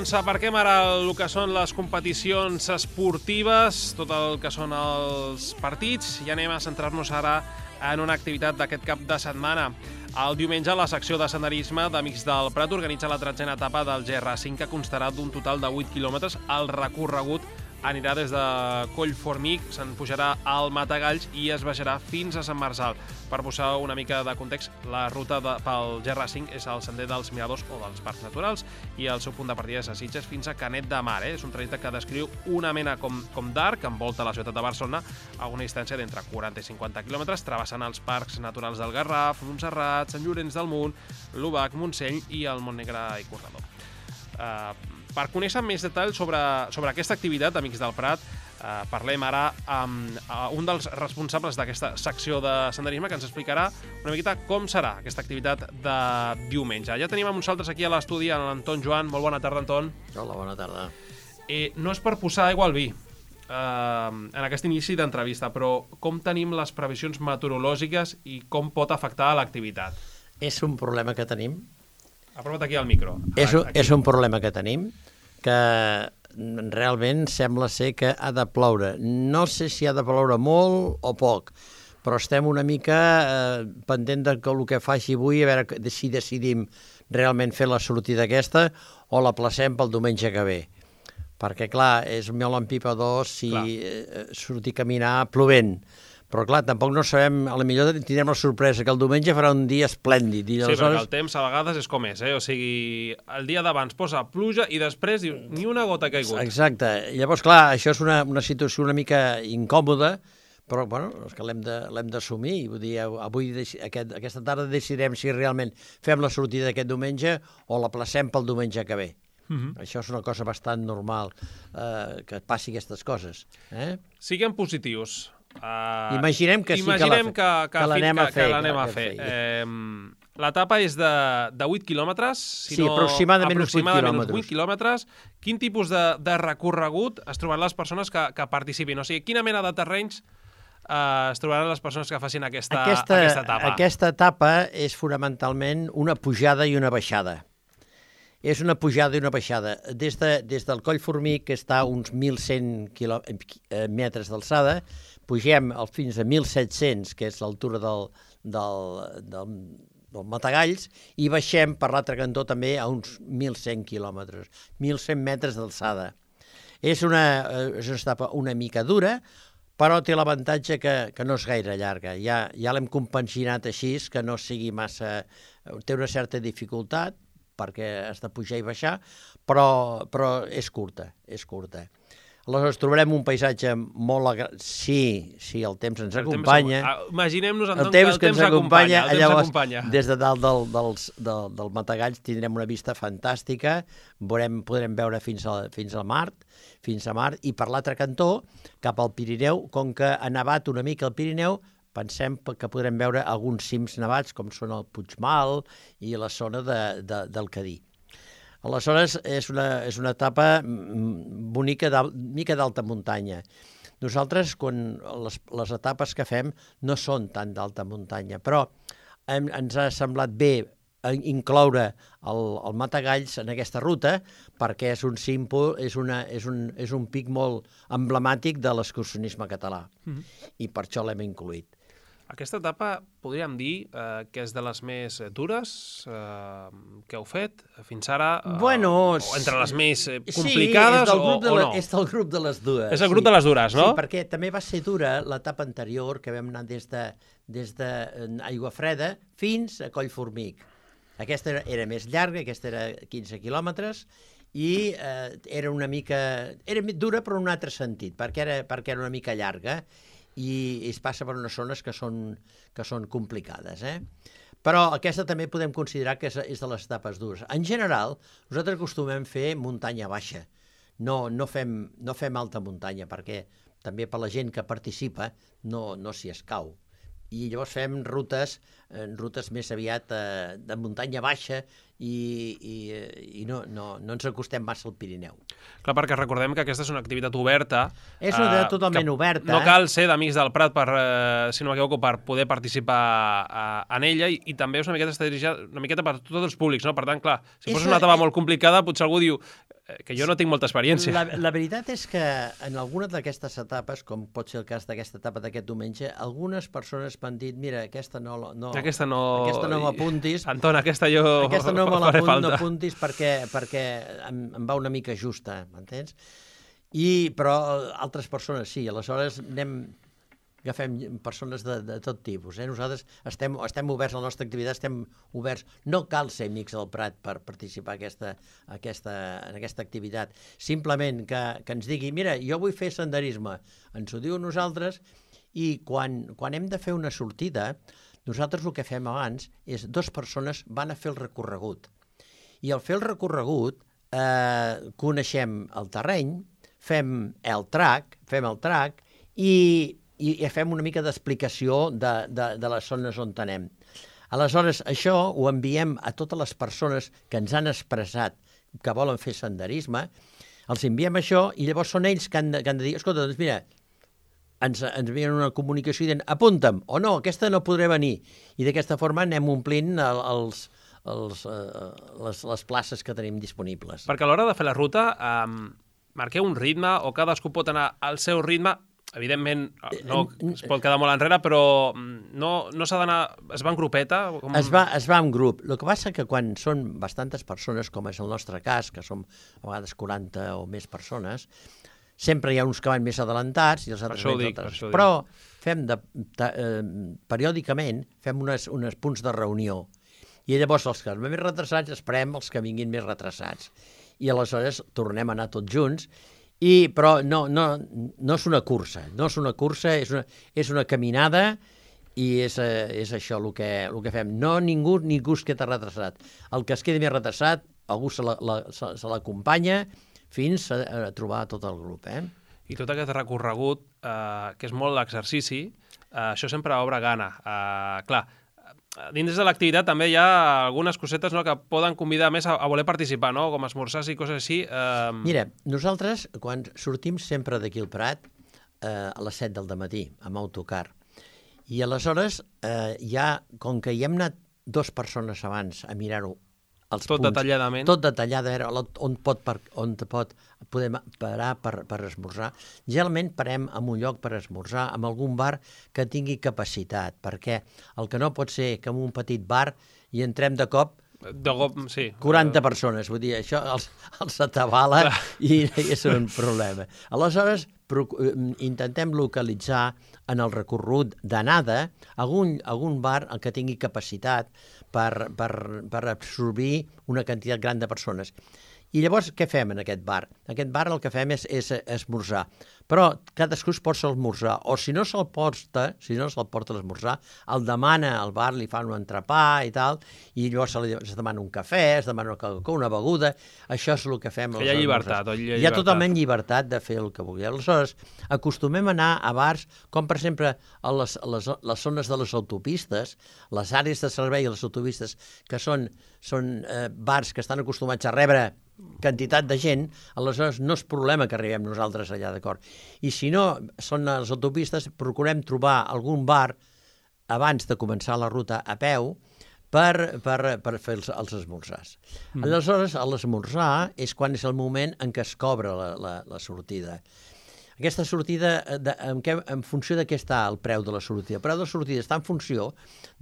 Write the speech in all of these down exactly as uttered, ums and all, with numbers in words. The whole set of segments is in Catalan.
Doncs aparquem ara el que són les competicions esportives, tot el que són els partits, i anem a centrar-nos ara en una activitat d'aquest cap de setmana. El diumenge, la secció de senderisme d'Amics del Prat organitza la tretzena etapa del G R cinc, que constarà d'un total de vuit quilòmetres. El recorregut anirà des de Collformic, se'n pujarà al Matagalls i es baixarà fins a Sant Marçal. Per posar una mica de context, la ruta de, pel G R cinc és el sender dels Miradors o dels Parcs Naturals i el seu punt de partida és a Sitges fins a Canet de Mar. Eh? És un trajecte que descriu una mena com, com d'arc que envolta la ciutat de Barcelona a una distància d'entre quaranta i cinquanta quilòmetres, travessant els Parcs Naturals del Garraf, Montserrat, Sant Llorenç del Munt, l'Ubac, Montseny i el Montnegre i Corredor. Uh, per conèixer més detalls sobre, sobre aquesta activitat, Amics del Prat, uh, parlem ara amb uh, un dels responsables d'aquesta secció de senderisme que ens explicarà una miqueta com serà aquesta activitat de diumenge. Ja tenim amb nosaltres aquí a l'estudi l'Anton Joan. Molt bona tarda, Anton. Hola, bona tarda. Eh, no és per posar aigua al vi uh, en aquest inici d'entrevista, però com tenim les previsions meteorològiques i com pot afectar l'activitat? És un problema que tenim. Aprova't aquí al micro. És un, és un problema que tenim, que realment sembla ser que ha de ploure. No sé si ha de ploure molt o poc, però estem una mica eh, pendent de que el que faci avui, a veure si decidim realment fer la sortida aquesta o la placem pel diumenge que ve. Perquè, clar, és mel en pipa dos si eh, sortir a caminar plovent. Però, clar, tampoc no sabem, a la millor tindrem la sorpresa que el diumenge farà un dia esplèndid. I sí, aleshores... perquè el temps a vegades és com és, eh? O sigui, el dia d'abans posa pluja i després diu, ni una gota ha caigut. Exacte. Llavors, clar, això és una, una situació una mica incòmoda, però, bueno, és que l'hem de, l'hem d'assumir. Vull dir, avui, aquest, aquesta tarda decidirem si realment fem la sortida d'aquest diumenge o la placem pel diumenge que ve. Uh-huh. Això és una cosa bastant normal, eh, que passi aquestes coses. Eh? Siguem positius. Uh, imaginem que sí imaginem que, la, que, que l'anem a fer. Que l'anem a fer. Eh, l'etapa és de, de vuit quilòmetres, si sí, no, aproximadament, aproximadament uns vuit quilòmetres. Quin tipus de, de recorregut es trobaran les persones que, que participin? O sigui, quina mena de terrenys eh, es trobaran les persones que facin aquesta, aquesta, aquesta etapa? Aquesta etapa és fonamentalment una pujada i una baixada. És una pujada i una baixada. Des, de, des del Coll Formic, que està a uns mil cent metres d'alçada, pugem fins a mil set-cents, que és l'altura del, del, del, del Matagalls, i baixem per l'altre cantó també a uns mil cent quilòmetres, mil cent metres d'alçada. És una, és una etapa una mica dura, però té l'avantatge que, que no és gaire llarga. Ja, ja l'hem compaginat així, que no sigui massa... Té una certa dificultat, perquè has de pujar i baixar, però, però és curta, és curta. Aleshores, trobarem un paisatge molt... Agra... Sí, sí, el temps ens el acompanya. Temps... Imaginem-nos, Anton, el temps que el temps acompanya. El temps llavors, acompanya. Des de dalt del, dels, del, del Matagalls tindrem una vista fantàstica, veurem, podrem veure fins, a, fins al mar, fins a mar, i per l'altre cantó, cap al Pirineu, com que ha nevat una mica el Pirineu, pensem que podrem veure alguns cims nevats, com són el Puigmal i la zona de, de, del Cadí. Aleshores, és una, és una etapa bonica, mica d'alta muntanya. Nosaltres, quan les, les etapes que fem, no són tan d'alta muntanya, però hem, ens ha semblat bé incloure el, el Matagalls en aquesta ruta, perquè és un símbol, és, una, és, un, és un pic molt emblemàtic de l'excursionisme català, mm-hmm. i per això l'hem incluït. Aquesta etapa, podríem dir, eh, que és de les més dures eh, que heu fet fins ara, eh, bueno, o entre les més eh, complicades, sí, o, o no? És del grup de les dures. És el grup sí. de les dures, no? Sí, perquè també va ser dura l'etapa anterior, que vam anar des de, des de Aiguafreda fins a Collformic. Aquesta era, era més llarga, aquesta era quinze quilòmetres, i eh, era una mica... Era dura, però en un altre sentit, perquè era, perquè era una mica llarga, i es passa per unes zones que són, que són complicades. Eh? Però aquesta també podem considerar que és, és de les etapes dures. En general, nosaltres acostumem a fer muntanya baixa. No, no, fem, no fem alta muntanya, perquè també per la gent que participa no, no s'hi escau. I llavors fem rutes, eh, rutes més aviat eh, de muntanya baixa i, i, i no, no, no ens acostem massa al Pirineu. Clar, perquè recordem que aquesta és una activitat oberta. És una activitat totalment oberta. No cal ser d'Amics del Prat, per, eh, si no m'equivoco, per poder participar eh, en ella, i, i també és una miqueta, una miqueta per tots els públics, no? Per tant, clar, si fos una etapa molt complicada, potser algú diu que jo no tinc molta experiència. La, la veritat és que en alguna d'aquestes etapes, com pot ser el cas d'aquesta etapa d'aquest diumenge, algunes persones m'han dit, mira, aquesta no, no, aquesta no, aquesta no m'apuntis. Anton, aquesta jo aquesta no me l'apuntis perquè, perquè em, em va una mica justa, m'entens? I, però altres persones sí, aleshores anem... agafem persones de, de tot tipus. Eh? Nosaltres estem, estem oberts a la nostra activitat, estem oberts. No cal ser Amics del Prat per participar aquesta, aquesta, en aquesta activitat. Simplement que, que ens digui, mira, jo vull fer senderisme. Ens ho diu a nosaltres i quan, quan hem de fer una sortida, nosaltres el que fem abans és dues persones van a fer el recorregut. I al fer el recorregut eh, coneixem el terreny, fem el track, fem el track i i fem una mica d'explicació de, de, de les zones on anem. Aleshores, això ho enviem a totes les persones que ens han expressat que volen fer senderisme, els enviem això i llavors són ells que han de, que han de dir, escolta, doncs mira, ens, ens envien una comunicació dient, apunta'm, o no, aquesta no podré venir. I d'aquesta forma anem omplint el, els, els, uh, les, les places que tenim disponibles. Perquè a l'hora de fer la ruta, um, marqueu un ritme o cadascú pot anar al seu ritme. Evidentment, no es pot quedar molt enrere, però no, no s'ha d'anar... Es va en grupeta? Com... Es, va, es va en grup. El que passa que quan són bastantes persones, com és el nostre cas, que som a vegades quaranta o més persones, sempre hi ha uns que van més adelantats i els altres més altres. Però fem de, de, eh, periòdicament fem unes, unes punts de reunió. I llavors els que van més retrasats esperem els que vinguin més retrasats. I aleshores tornem a anar tots junts. I, però no, no, no és una cursa, no és una cursa, és una, és una caminada i és, és això el que, el que fem. No ningú, ningú es queda retrasat. El que es quedi més retrasat, algú se l'acompanya fins a, a trobar tot el grup. Eh? I tot aquest recorregut, eh, que és molt l'exercici, eh, això sempre obre gana. Eh, clar, dins de l'activitat també hi ha algunes cosetes, no, que poden convidar més a, a voler participar, no? Com esmorzars i coses així. Eh... Mira, nosaltres quan sortim sempre d'aquí al Prat eh, a les set del dematí amb autocar i aleshores eh, ja, com que hi hem anat dues persones abans a mirar-ho els tot punts, detalladament. Tot detallat, a veure on pot, per, on pot podem parar per, per esmorzar. Generalment parem en un lloc per esmorzar, en algun bar que tingui capacitat, perquè el que no pot ser que en un petit bar hi entrem de cop de cop, sí. quaranta persones, vull dir, això els, els atabala i és un problema. Aleshores, intentem localitzar en el recorregut d'anada algun, algun bar que tingui capacitat per, per, per absorbir una quantitat gran de persones. I llavors, què fem en aquest bar? En aquest bar el que fem és, és esmorzar. Però cadascú es porta a esmorzar. O si no se'l porta, si no se'l porta a l'esmorzar, el demana al bar, li fan un entrepà i tal, i llavors se li, es demana un cafè, es demana una beguda. Això és el que fem. Que hi ha llibertat. Hi ha, hi ha totalment llibertat de fer el que vulgui. Aleshores, acostumem a anar a bars, com per exemple a les, a les, les zones de les autopistes, les àrees de servei a les autopistes, que són, són eh, bars que estan acostumats a rebre quantitat de gent, aleshores no és problema que arribem nosaltres allà, d'acord? I si no són a les autopistes, procurem trobar algun bar abans de començar la ruta a peu per, per, per fer els, els esmorzars. Mm. Aleshores, l'esmorzar és quan és el moment en què es cobra la, la, la sortida. Aquesta sortida, de, en, què, en funció de què està el preu de la sortida? El preu de la sortida està en funció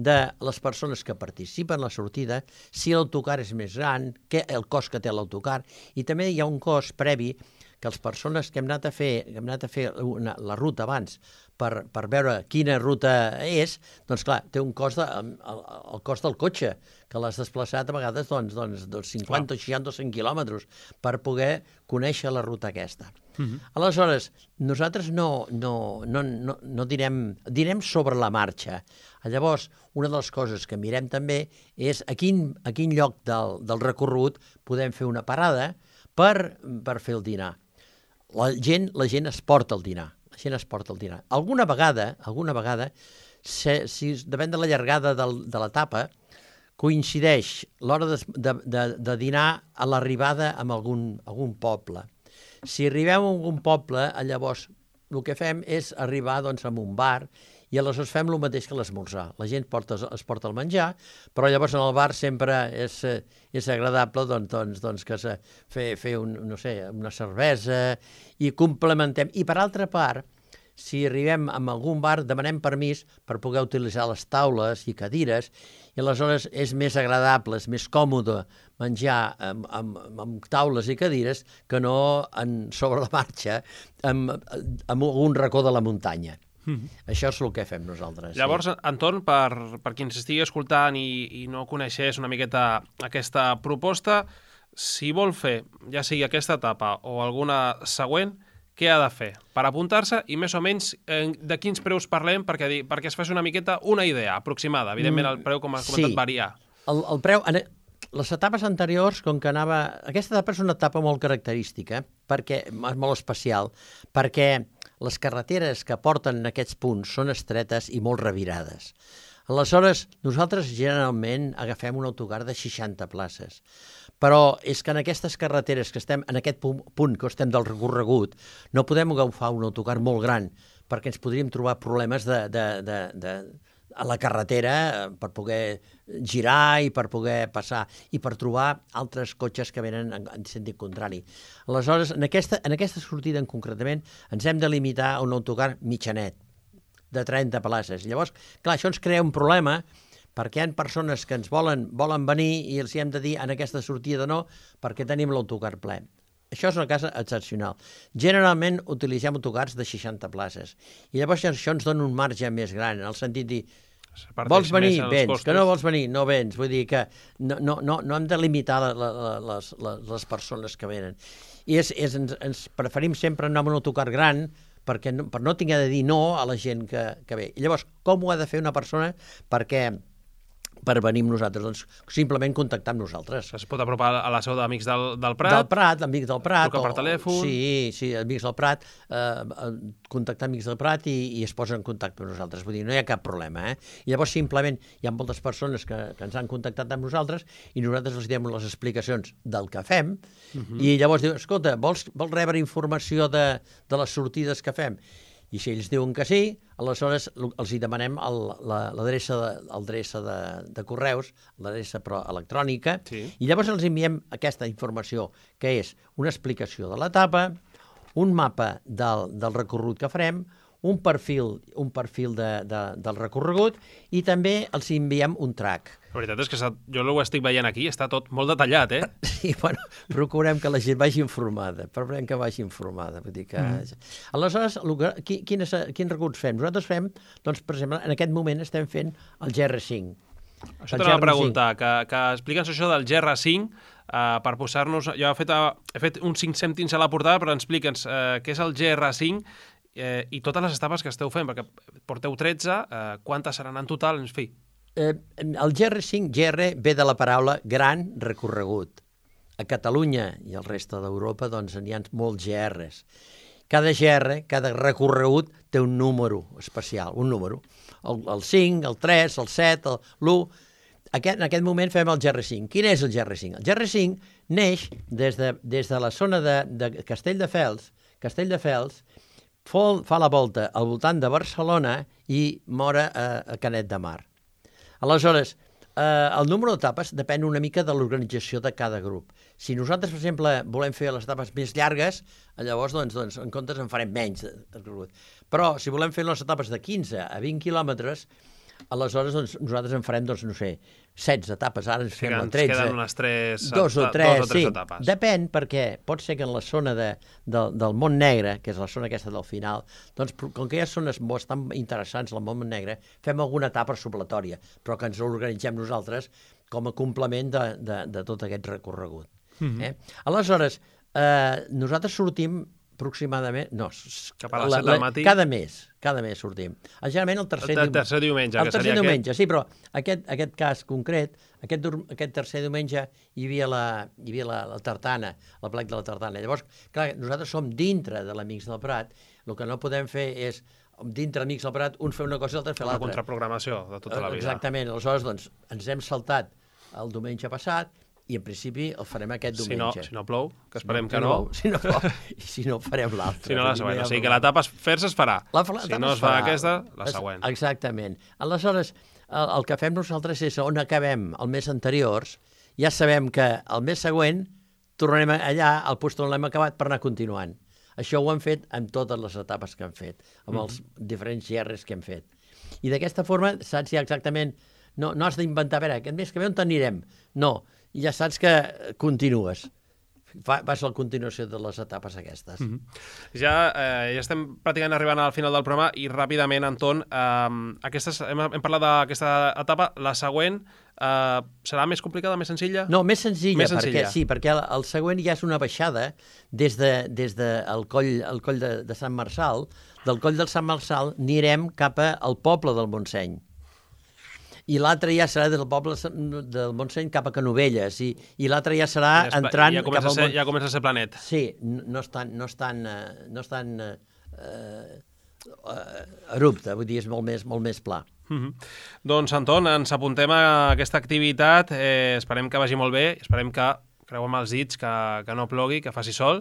de les persones que participen en la sortida, si l'autocar és més gran, què, el cost que té l'autocar, i també hi ha un cost previ que les persones que hem anat a fer, que hem anat a fer una, la ruta abans per, per veure quina ruta és, doncs clar, té un cost, de, el, el cost del cotxe, que l'has desplaçat a vegades doncs, doncs, doncs cinquanta, seixanta o cent quilòmetres per poder conèixer la ruta aquesta. Uh-huh. Aleshores, nosaltres no, no, no, no, no direm, direm sobre la marxa. Llavors, una de les coses que mirem també és a quin, a quin lloc del, del recorregut podem fer una parada per, per fer el dinar. La gent, la gent es porta el dinar. La gent es porta el dinar. Alguna vegada, alguna vegada, si, si depèn de la llargada del, de l'etapa, coincideix l'hora de, de, de, de dinar a l'arribada en algun, algun poble. Si arribem a algun poble, llavors el que fem és arribar doncs, a un bar i aleshores fem el mateix que l'esmorzar. La gent porta, es porta el menjar, però llavors en el bar sempre és, és agradable doncs, doncs, doncs que se, fer, fer un, no sé, una cervesa i complementem. I per altra part, si arribem a algun bar, demanem permís per poder utilitzar les taules i cadires i aleshores és més agradable, és més còmode menjar amb, amb, amb taules i cadires que no en, sobre la marxa amb, amb un racó de la muntanya. Mm-hmm. Això és el que fem nosaltres. Llavors, sí. Anton, per, per qui ens estigui escoltant i, i no coneixés una miqueta aquesta proposta, si vol fer, ja sigui aquesta etapa o alguna següent, què ha de fer per apuntar-se i més o menys eh, de quins preus parlem perquè, perquè es faci una miqueta una idea aproximada. Evidentment el preu, com has comentat, sí. varia. El, el preu, les etapes anteriors, com que anava... Aquesta etapa és una etapa molt característica, perquè és molt especial, perquè les carreteres que porten en aquests punts són estretes i molt revirades. Aleshores, nosaltres generalment agafem un autocar de seixanta places. Però és que en aquestes carreteres que estem, en aquest punt, punt que estem del recorregut, no podem agafar un autocar molt gran, perquè ens podríem trobar problemes de, de, de, de, a la carretera per poder girar i per poder passar, i per trobar altres cotxes que venen en, en sentit contrari. Aleshores, en aquesta, en aquesta sortida en concretament, ens hem de limitar a un autocar mitjanet, de trenta places. Llavors, clar, això ens crea un problema, perquè hi ha persones que ens volen, volen venir i els hem de dir en aquesta sortida no, perquè tenim l'autocar ple. Això és una cosa excepcional. Generalment utilitzem autocars de seixanta places. I llavors això ens dona un marge més gran, en el sentit de dir, vols venir? Vens. Que no vols venir? No vens. Vull dir que no, no, no, no hem de limitar la, la, les, les persones que venen. I és, és, ens, ens preferim sempre anar amb un autocar gran, perquè no, per no tinguer de dir no a la gent que, que ve. I llavors, com ho ha de fer una persona perquè per venir amb nosaltres? Doncs simplement contactar amb nosaltres. Es pot apropar a la seu d'Amics del, del Prat? Del Prat, Amics del Prat. Trucar per telèfon? Sí, sí, Amics del Prat, eh, contactar Amics del Prat i, i es posen en contacte amb nosaltres. Vull dir, no hi ha cap problema, eh? I llavors simplement hi ha moltes persones que, que ens han contactat amb nosaltres i nosaltres els diem les explicacions del que fem uh-huh. i llavors diuen, escolta, vols, vols rebre informació de, de les sortides que fem? I si ells diuen que sí, aleshores els hi demanem l'adreça de, de, de correus, l'adreça electrònica, sí. I llavors els enviem aquesta informació, que és una explicació de l'etapa, un mapa del, del recorregut que farem, un perfil, un perfil de, de, del recorregut i també els enviem un track. La veritat és que jo ho estic veient aquí, està tot molt detallat, eh? Sí, bueno, procurem que la gent vagi informada, procurem que vagi informada. Vull dir que... Mm. Aleshores, quin, quines, quins recorreguts fem? Nosaltres fem, doncs, per exemple, en aquest moment estem fent el G R cinc. Això t'anava a preguntar, que, que explica'ns això del G R cinc, uh, per posar-nos... Jo he fet, uh, he fet uns cinc cèntims a la portada, però explica'ns uh, què és el G R cinc eh, i totes les etapes que esteu fent, perquè porteu tretze, eh, quantes seran en total, en fi. Eh, el G R cinc, G R ve de la paraula gran recorregut. A Catalunya i al resta d'Europa doncs n'hi ha molts G Rs. Cada G R, cada recorregut té un número especial, un número. El, el cinc, el tres, el set, l'u... Aquest, en aquest moment fem el G R cinc. Quin és el G R cinc? El G R cinc neix des de, des de la zona de, de Castelldefels, Castelldefels, fa la volta al voltant de Barcelona i mora a, a Canet de Mar. Aleshores, eh, el número d'etapes depèn una mica de l'organització de cada grup. Si nosaltres, per exemple, volem fer les etapes més llargues, llavors, doncs, doncs en comptes en farem menys. Però si volem fer les etapes de quinze a vint quilòmetres, aleshores doncs, nosaltres en farem, doncs, no sé, setze etapes, ara ens fem la tretze. Queden unes tres, dos o tres, dos o tres sí. etapes. Depèn, perquè pot ser que en la zona de, de, del Mont Negre, que és la zona aquesta del final, doncs com que hi ha zones bastant interessants al Mont Negre, fem alguna etapa supletòria, però que ens organitzem nosaltres com a complement de, de, de tot aquest recorregut. Mm-hmm. eh? Aleshores, eh, nosaltres sortim aproximadament... No, cap a les set del matí? Cada mes, cada mes sortim. Generalment el tercer, el tercer diumenge. El que tercer seria diumenge, aquest... sí, però aquest, aquest cas concret, aquest, aquest tercer diumenge hi havia la, hi havia la, la tartana, el plec de la tartana. Llavors, clar, nosaltres som dintre de l'Amics del Prat, el que no podem fer és dintre Amics del Prat, un fer una cosa i l'altre fer l'altra. Una contraprogramació de tota la vida. Exactament. Aleshores, doncs, ens hem saltat el diumenge passat, i en principi el farem aquest diumenge. Si no, si no plou, que esperem si que no. Si no plou, i si no farem l'altre. Si no, la següent. O sigui que l'etapa fer-se es farà. La, la si no es fa aquesta, la següent. Exactament. Aleshores, el, el que fem nosaltres és on acabem el mes anteriors, ja sabem que el mes següent tornarem allà al lloc on l'hem acabat per anar continuant. Això ho hem fet amb totes les etapes que hem fet, amb els mm. diferents gerres que hem fet. I d'aquesta forma saps ja exactament, no, no has d'inventar, a veure, aquest mes que ve on t'anirem? No, ja saps que continues. Vas a la continuació de les etapes aquestes. Mm -hmm. Ja, eh, ja estem pràcticament arribant al final del programa i ràpidament, Anton, eh, aquestes, hem, hem parlat d'aquesta etapa, la següent eh, serà més complicada, més senzilla? No, més senzilla, més senzilla. Perquè, sí, perquè el, el següent ja és una baixada des de, des de el coll, el coll de, de Sant Marçal. Del coll del Sant Marçal anirem cap al poble del Montseny. I l'altre ja serà del poble del Montseny cap a Canovelles, i, i l'altre ja serà ja entrant ja cap al... Ser, ja comença a ser planet. Sí, no estan, no estan, no estan eh, eh, erupte, vull dir, és molt més, molt més pla. Mm-hmm. Doncs, Anton, ens apuntem a aquesta activitat, eh, esperem que vagi molt bé, esperem que creuem els dits, que, que no plogui, que faci sol,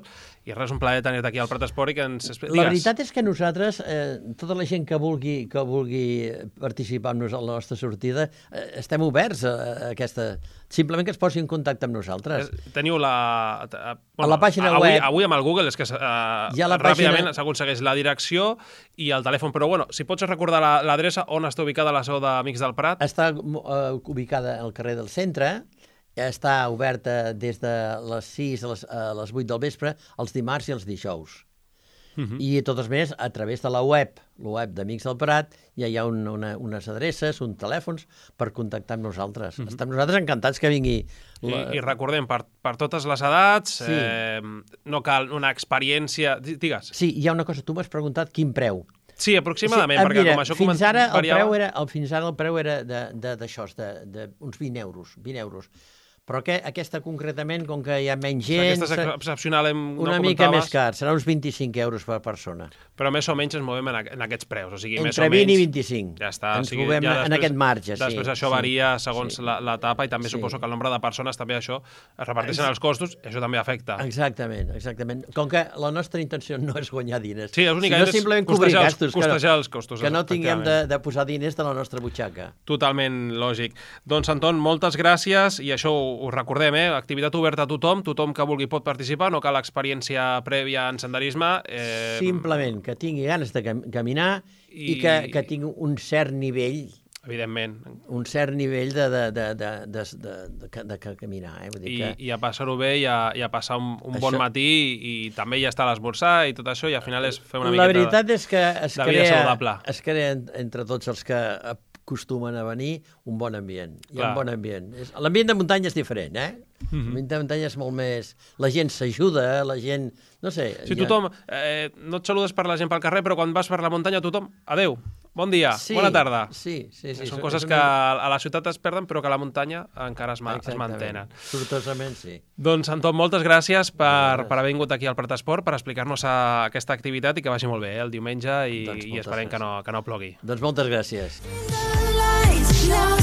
i res, un plaer tenir-te aquí al Prat Esport i que ens... Digues. La veritat és que nosaltres, eh, tota la gent que vulgui, que vulgui participar amb nosaltres a la nostra sortida, eh, estem oberts a, a aquesta... Simplement que es posi en contacte amb nosaltres. Teniu la... Bueno, a la pàgina avui, web... Avui amb el Google és que eh, ja ràpidament pàgina... s'aconsegueix la direcció i el telèfon, però bueno, si pots recordar l'adreça on està ubicada la seu d'Amics del Prat? Està uh, ubicada al carrer del Centre, està oberta des de les sis a les, a les vuit del vespre, els dimarts i els dijous. Uh-huh. I totes més, a través de la web, la web d'Amics del Prat, ja hi ha un, una, unes adreces, uns telèfons per contactar amb nosaltres. Uh-huh. Estem nosaltres encantats que vingui... La... I, I recordem, per, per totes les edats, sí. eh, no cal una experiència... Digues. Sí, hi ha una cosa, tu m'has preguntat quin preu. Sí, aproximadament, sí, perquè mira, com això fins ara, variava... el preu era, el, fins ara el preu era d'això, d'uns vint euros, vint euros. Però que, aquesta concretament, com que hi ha menys gent... Aquesta és excepcional, hem, una no mica més car, serà uns vint-i-cinc euros per persona. Però més o menys ens movem en, en aquests preus, o sigui, entre més o menys... vint i vint-i-cinc. Ja està. Ens o sigui, movem ja després, en aquest marge, sí. Després això sí, varia segons sí. l'etapa i també sí. Suposo que el nombre de persones també això es reparteixen els costos i això també afecta. Exactament, exactament. Com que la nostra intenció no és guanyar diners, sí, és únicament sinó simplement cobrir gastos, costejar els costos, que no tinguem de, de posar diners de la nostra butxaca. Totalment lògic. Doncs, Anton, moltes gràcies i això ho recordem, eh? Activitat oberta a tothom, tothom que vulgui pot participar, no cal experiència prèvia en senderisme. Eh... Simplement que tingui ganes de cam caminar i, i que, que tingui un cert nivell, evidentment, un cert nivell de, de, de, de, de, de, de, de, de caminar. Eh? Vull dir que... I, I a passar-ho bé i a, i a passar un, un això... bon matí i, i també ja està a l'esmorzar i tot això i al final és fer una miqueta La veritat és que es de vida saludable. Es crea entre tots els que acostumen a venir un bon ambient. Hi ha un bon ambient. L'ambient de muntanya és diferent, eh? Mm-hmm. L'ambient de muntanya és molt més... La gent s'ajuda, la gent... No sé... Sí, tothom... Eh, no et saludes per la gent pel carrer, però quan vas per la muntanya tothom... Adéu, bon dia, sí, bona tarda. Sí, sí, sí. Són coses que a la ciutat es perden, però que a la muntanya encara es, ma es mantenen. Sortosament, sí. Doncs, Anton, moltes gràcies per, per haver vingut aquí al Prat Esport, per explicar-nos aquesta activitat i que vagi molt bé, eh, el diumenge, i, doncs i esperem que no, que no plogui. Doncs moltes gràcies. No.